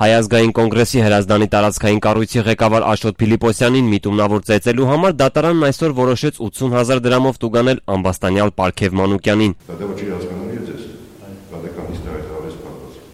Հայ ազգային կոնգրեսի Հրազդանի տարածքային կառույցի ղեկավար Աշոտ Փիլիպոսյանին միտումնավոր ծեծելու համար դատարանն այսօր որոշեց 80,000 դրամով տուգանել ամբաստանյալ Պարքև Մանուկյանին։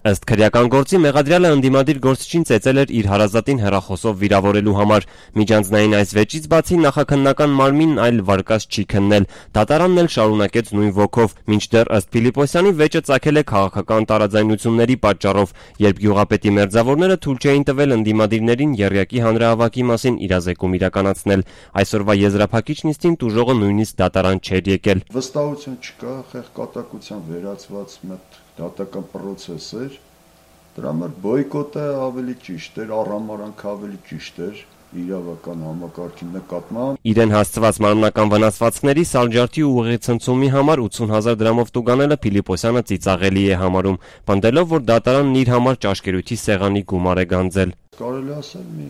Ըստ քրեական գործի մեղադրյալը ընդդիմադիր գործչին ծեծել էր իր հարազատին հեռախոսով վիրավորելու համար։ Միջանձնային այս վեճից բացի նախաքննական մարմինն այլ վարկած չի քննել։ Դատարանն էլ շարունակեց նույն ոգով, մինչդեռ ըստ Փիլիպոսյանի վեճը ծագել է քաղաքական տարաձայնությունների պատճառով, երբ գյուղապետի մերձավորները թույլ չէին տվել ընդդիմադիրներին եռյակի հանրահավաքի մասին իրազեկում իրականացնել։ Այսօրվա եզրափակիչ նիստին տուժողը նույնիսկ դատարան չէր եկել։ Վստահություն չկա, խեղճատակության վերացված դատական պրոցես էր, դրա համար բոյկոտը ավելի ճիշտ էր, առհամարանքը ավելի ճիշտ էր իրավական համակարգի նկատմամբ։ Իրեն հասցված մարմնական վնասվածքների սալջարդի ու ուղղեցնցումի համար 80,000 դրամով տուգանելը Փիլիպոսյանը ծիծաղելի է համարում, պնդելով, որ դատարանն իր համար ճաշկերույթի սեղանի գումար է գանձել։ Կարելի ասել մի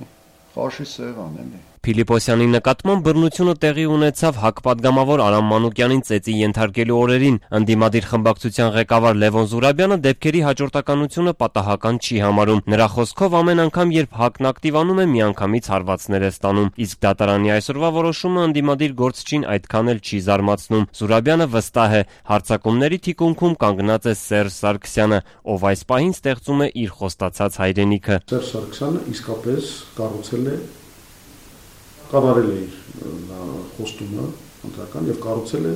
խաշի սեղան է։ Փիլիպոսյանի նկատմամբ բռնությունը տեղի ունեցավ ՀԱԿ պատգամավոր Արամ Մանուկյանին ծեծի ենթարկելու օրերին։ Ընդդիմադիր խմբակցության ղեկավար Լևոն Զուրաբյանը դեպքերի հաջորդականությունը պատահական չի համարում։ Նրա խոսքով ամեն անգամ, երբ ՀԱԿ-ն ակտիվանում է, միանգամից հարվածներ է ստանում։ Իսկ դատարանի այսօրվա որոշումը ընդդիմադիր գործչին այդքան էլ չի զարմացնում։ Զուրաբյանը վստահ է, հարձակումների թիկունքում կանգնած է Սերժ Սարգսյանը, ով այս պահին ստեղծում է իր խոստացած հայրենիքը։ Սերժ Սարգսյանը իսկապես կառավարել է իր խոստումը ընտրական եւ կառուցել է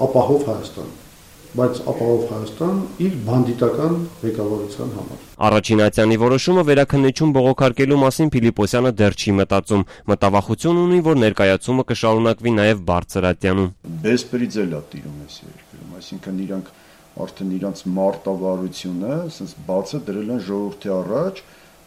ապահով Հայաստան, բայց ապահով Հայաստան իր բանդիտական ղեկավարության համար։ Առաջին ատյանի որոշումը վերաքննիչում բողոքարկելու մասին Փիլիպոսյանը դեռ չի մտածում։ Մտավախություն ունի, որ ներկայացումը կշարունակվի նաեւ բարձր ատյանում։ Բեսպրիձելա տիրում է երկրում, այսինքն իրանք արդեն իրանց մարտավարությունը, ասես բացը դրել են ժողովրդի առաջ,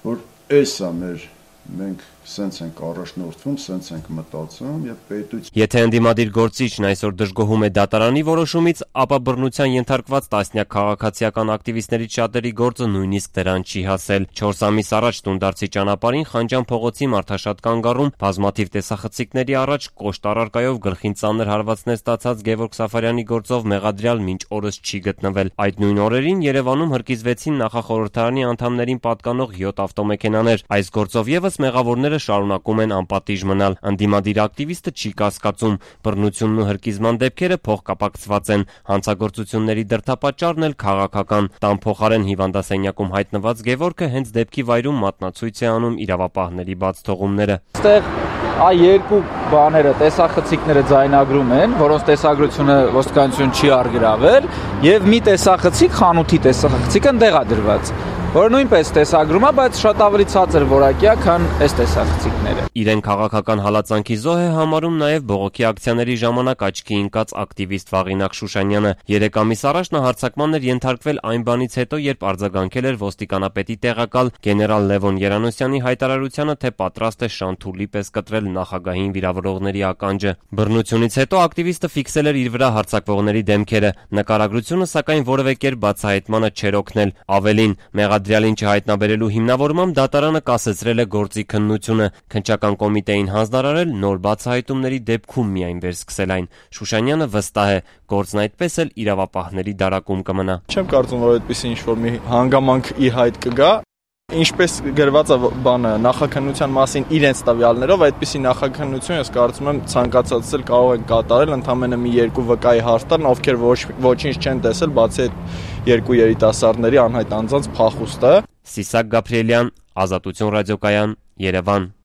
որ էսա մեր մենք սենց ենք առաջնորդվում, սենց ենք մտածում եւ պետություն։ Եթե ընդդիմադիր գործիչն այսօր դժգոհում է դատարանի որոշումից, ապա բռնության ենթարկված տասնյակ քաղաքացիական ակտիվիստներից շատերի գործը նույնիսկ դրան չի հասել։ 4 ամիս առաջ Տունդարձի ճանապարհին Խանջան փողոցի մարդաշատ կանգառում բազմաթիվ տեսախցիկների առաջ կոշտ առարկայով գլխին ծանր հարվածներ ստացած Գևորգ Սաֆարյանի գործով մեղադրյալ մինչ օրս չի գտնվել։ Այդ նույն օրերին Երևանում հրկիզվեցին նախախորհրդարանի անդամներին պատկանող 7 ավտոմեքենաներ։ Այս գործով եւս մեղավորները շարունակում են անպատիժ մնալ։ Ընդդիմադիր ակտիվիստը չի կասկածում, բռնությունն ու հրկիզման դեպքերը փոխկապակցված են, հանցագործությունների դրդապատճառն էլ քաղաքական։ Տան փոխարեն հիվանդասենյակում հայտնված Գևորգը հենց դեպքի վայրում մատնացույց է անում իրավապահների բաց թողումները։ Այստեղ երկու բաները տեսախցիկները ձայնագրում են, որոնց տեսագրությունը ոստիկանություն չի արգրավել, եւ մի տեսախցիկ, խանութի տեսախցիկը տեղադրված, որը նույնպես տեսագրում է, բայց շատ ավելի ցածր որակյա, քան այս տեսախցիկները։ Իրեն քաղաքական հալածանքի զոհ է համարում նաև բողոքի ակցիաների ժամանակ աչքի ընկած ակտիվիստ Վաղինակ Շուշանյանը։ 3 ամիս առաջ նա հարձակման էր ենթարկվել այն բանից հետո, երբ արձագանքել էր ոստիկանապետի տեղակալ գեներալ Լևոն Երանոսյանի հայտարարությանը, թե պատրաստ է շանթուլի պես կտրել նախագահին վիրավորողների ականջը։ Բռնությունից հետո ակտիվիստը ֆիքսել էր իր վրա հարձակվողների դեմքերը։ Նկարագրությունը սակայն որևէ կերպ բացահայտմանը չէր օգնել։ Ավելին, մեղադրյալին չհայտնաբերելու հիմնավորմամբ դատարանը կասեցրել է գործի քննությունը։ Քննչական կոմիտեին հանձնարարել նոր բացահայտումների դեպքում միայն վերսկսել այն։ Շուշանյանը վստահ է, գործն այդպես էլ իրավապահների դարակում կմնա։ Չեմ կարծում, որ այդպեսի ինչ-որ մի հանգամանք ի հայտ կգա։ Ինչպես գրված է բանը նախաքննության մասին իրենց տվյալներով, այդպիսի նախաքննություն ես կարծում եմ ցանկացած էլ կարող են կատարել, ընդամենը մի երկու վկայի հաստատ, ովքեր ոչինչ չեն տեսել, բացի այդ երկու երիտասարդների անհայտ անձանց փախուստը։ Սիսակ Գաբրիելյան, Ազատություն ռադիոկայան, Երևան։